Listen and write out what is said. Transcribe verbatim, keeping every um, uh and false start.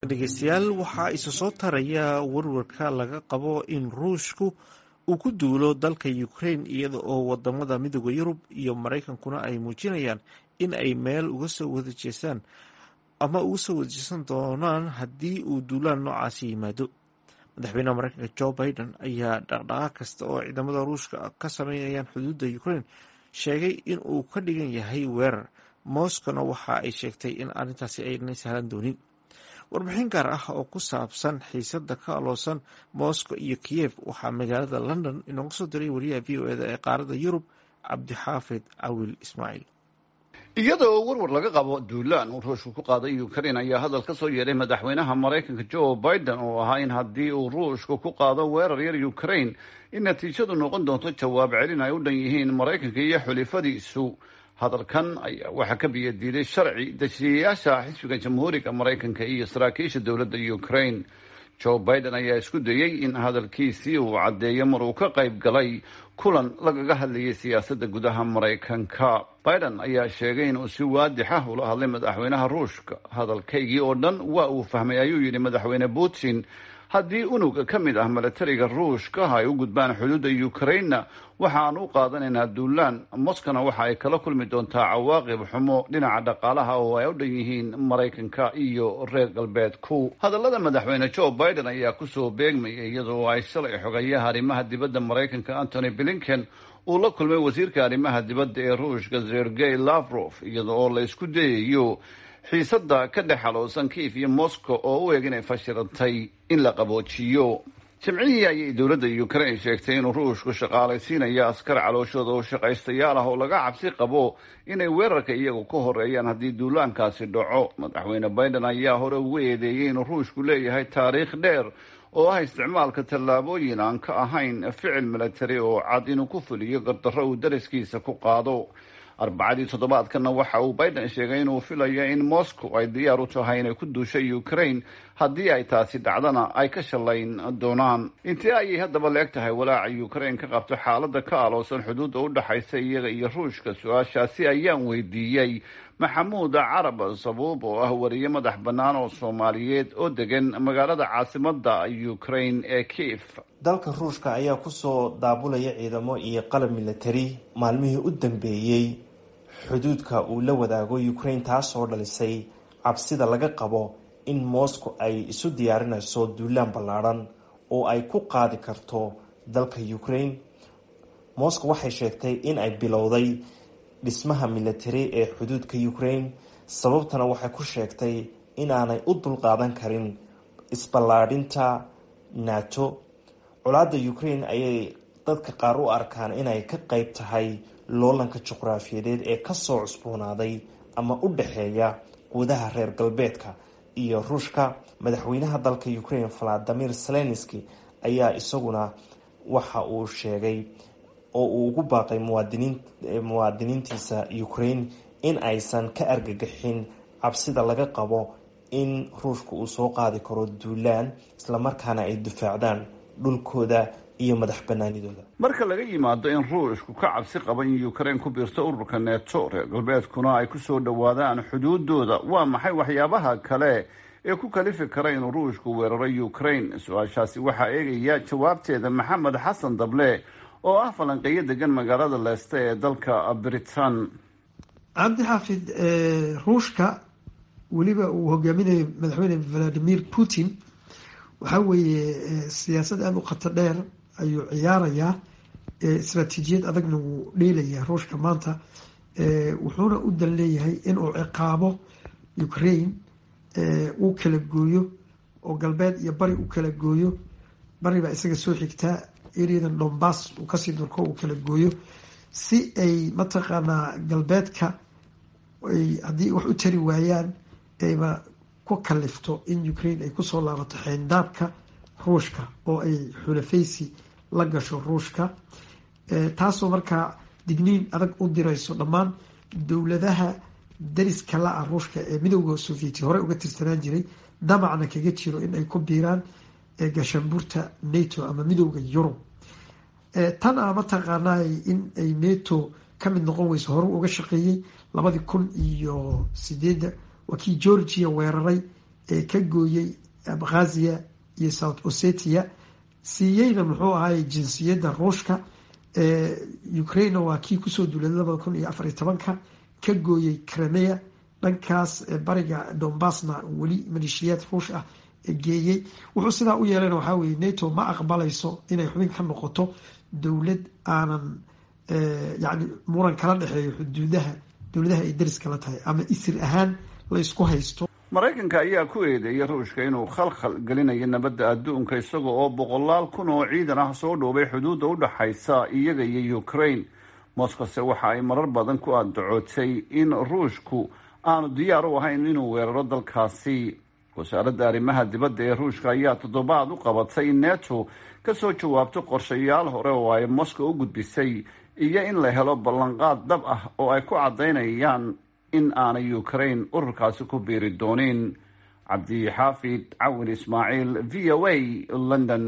Dhegeystayaal, waxaa isa soo taraya warwarka laga qabo in Ruushku uu ku duulo dalka Ukraine, iyada oo wadamada Midooda Yurub iyo Maraykankuna ay muujinayaan in ay meel uga soo wada jeestaan ama uga soo wadajeesan doonaan haddii uu duulaan noocaasi yimaado. Madaxweynaha Mareykanka Joe Biden ayaa dhaqdhaqaaq kasta oo ciidamada Ruushka ka sameynayaan xuduudda Ukraine sheegay in uu ka dhigan yahay weerar. Moscowna waxa ay sheegtay in arrintaasi aynay sahlan doonin. Warbixin gaar ah oo ku saabsan xiisada ka aloosan Moscow iyo Kiyev waxaa magaalada London inooga soo diray wariyaha V O E da ee qaaradda Yurub, Cabdixaafid Cawil Ismaaciil. Iyadoo warwar laga qabo duulaan uu Ruushku ku qaaday Ukraine ayaa hadal ka soo yeedhay madaxweynaha Maraykanka Joe Biden oo ahaa in haddii uu Ruushku ku qaado weerar yar Ukraine, in natiijadu noqon doonto jawaab celin ay u dhan yihiin Maraykanka iyo xulifadiisu. Hadalkan ayaa waxaa ka biyadiiday sharci dejiyayaasha xisbiga Jamhuuriga Maraykanka iyo saraakiisha dowladda Ukraine. Joe Biden ayaa isku dayey in hadalkiisii uu caddeeyo mar uu ka qayb galay kulan lagaga hadlayay siyaasadda gudaha Maraykanka. Biden ayaa sheegay inuu si waadix ah ula hadlay madaxweynaha Ruushka. "Hadalkaygii oo dhan waa uu fahmay," ayuu yidhi Madaxweyne Putin. "Haddii unug ka mid ah milatariga Ruushka ay u gudbaan xuduudda Ukraina, waxa aan u qaadanaynaa duulaan. Moscowna waxa ay kala kulmi doontaa cawaaqib xumo dhinaca dhaqaalaha oo ay u dhan yihiin Maraykanka iyo reer Galbeedku." Hadallada Madaxweyne Joe Biden ayaa kusoo beegmaya iyadoo ay shalay xogayaha arrimaha dibadda Maraykanka Antony Blinken uu la kulmay wasiirka arrimaha dibadda ee Ruushka Sergey Lavrov, iyada oo la isku dayayo xiisadda ka dhex aloosan Kiev iyo Moscow oo u eg inay fashilantay in la qaboojiyo. Jimcihii ayay dowladda Ukraine sheegtay inuu Ruushku shaqaalaysiinayo askar calooshooda oo shaqaystayaal ah oo laga cabsi qabo inay weerarka iyagu ka horeeyaan haddii duulaankaasi dhaco. Madaxweyne Biden ayaa hore ugu eedeeyey inuu Ruushku leeyahay taariikh dheer oo ah isticmaalka tallaabooyin aan ka ahayn ficil milatari oo cad inuu ku fuliyo gardarro uu dariskiisa ku qaado. Arbacadii toddobaadkana waxa uu Biden sheegay inuu filayo in Moscow ay diyaar u tahay inay ku duusho Ukraine, haddii ay taasi dhacdana ay ka shallayn doonaan. Intee ayay haddaba la eg tahay walaaca Ukraine ka qabto xaaladda ka aloosan xuduudda u dhexaysa iyaga iyo Ruushka? Su-aashaasi ayaan weydiiyey Maxamuud Carab Sabuub oo ah wariye madax bannaan oo Soomaaliyeed oo degan magaalada caasimadda Ukraine ee Kiev. Dalka Ruushka ayaa kusoo daabulaya ciidamo iyo qalab military maalmihii u dambeeyey xuduudka uu la wadaago Ukraine, taasoo dhalisay cabsida laga qabo in Moscow ay isu diyaarinayso duulaan ballaadhan oo ay ku qaadi karto dalka Ukraine. Moscow waxay sheegtay in ay bilowday dhismaha military ee xuduudka Ukraine. Sababtana waxay ku sheegtay inaanay u dulqaadan karin isballaadhinta NATO. Colaadda Ukraine ayay dadka qaar u arkaan inay ka qeyb tahay loolanka juqraafiyadeed ee kasoo cusboonaaday ama u dhexeeya quudaha reer Galbeedka iyo Ruushka. Madaxweynaha dalka Ukraine Valadimir Zelenski ayaa isaguna waxa uu sheegay oo uu ugu baaqay muwaadiniin muwaadiniintiisa Ukraine in aysan ka argagixin cabsida laga qabo in Ruushka uu soo qaadi karo duulaan, islamarkaana ay difaacdaan dhulkooda iyo madax banaanidooda. Marka laga yimaado in Ruushku ka cabsi qaba in Ukraine ku biirto ururka NATO, reer Galbeedkuna ay kusoo dhowaadaan xuduudooda, waa maxay waxyaabaha kale ee ku kalifi kara inuu Ruushku weeraro Ukraine? Su-aashaasi waxaa eegaya jawaabteeda Maxamed Xasan Dable oo ah falanqeeyo degan magaalada Leicester ee dalka Britain. Cabdi Xaafid, Ruushka weliba uu hogaaminayo Madaxweyne Valadimir Putin waxaa weeye siyaasad aada u khatar dheer ayuu ciyaarayaa, istraatiijiyad adagna wuu dheelayaa Ruushka maanta. Wuxuuna u dan leeyahay inuu ciqaabo Ukraine, uu kala gooyo oo galbeed iyo bari u kala gooyo. Bari baa isaga soo xigtaa, areadan Donbass uu kasii durko, uu kala gooyo si ay mataqaanaa galbeedka ay haddii wax u tari waayaan ayba ku kalifto in Ukraine ay kusoo laabato xeyndaabka Ruushka oo ay xulafaysi la gasho Ruushka, taasoo markaa digniin adag u dirayso dhammaan dowladaha dariska la-ah Ruushka ee Midowda Sovieti hore uga tirsanaan jiray, damacna kaga jiro in ay ku biiraan gaashaanbuurta NATO ama Midowda Yurub. Tan a mataqaanaa in ay NATO ka mid noqon weyso hore uga shaqeeyey labadii kun iyo sideedda, waa kii Georgia weeraray. Ka gooyey Abkhazia iyo South Ossetia, siiyeyna muxuu ahaay jinsiyadda Ruushka. Ukrainena waa kii kusoo duulay labada kun iyo afar iyo tobanka, ka gooyey Crimea, dhankaas bariga Donbasna weli maleeshiyaad Ruush ah geeyey. Wuxuu sidaa u yeelana waxaa weye, NATO ma aqbalayso inay xubin ka noqoto dowlad aanan yani muran kala dhexeeyo xuduudaha dowladaha ay dariska la tahay ama isir ahaan la isku haysto. Maraykanka ayaa ku eedeeyay Ruushka inuu khalkhal gelinayo nabadda adduunka, isaga oo boqolaal kun oo ciidan ah soo dhoobay xuduudda u dhaxaysa iyaga iyo Ukraine. Moscowse waxa ay marar badan ku andacootay in Ruushku aanu diyaar u ahayn inuu weeraro dalkaasi. Wasaaradda arrimaha dibadda ee Ruushka ayaa toddobaad u qabatay in NATO kasoo jawaabto qorshayaal hore oo ay Moscow u gudbisay, iyo in la helo ballanqaad dhab ah oo ay ku caddaynayaan in aanay Ukraine ururkaasi ku biiri doonin. Cabdixaafid Cawin Ismaaciil, V O A, London.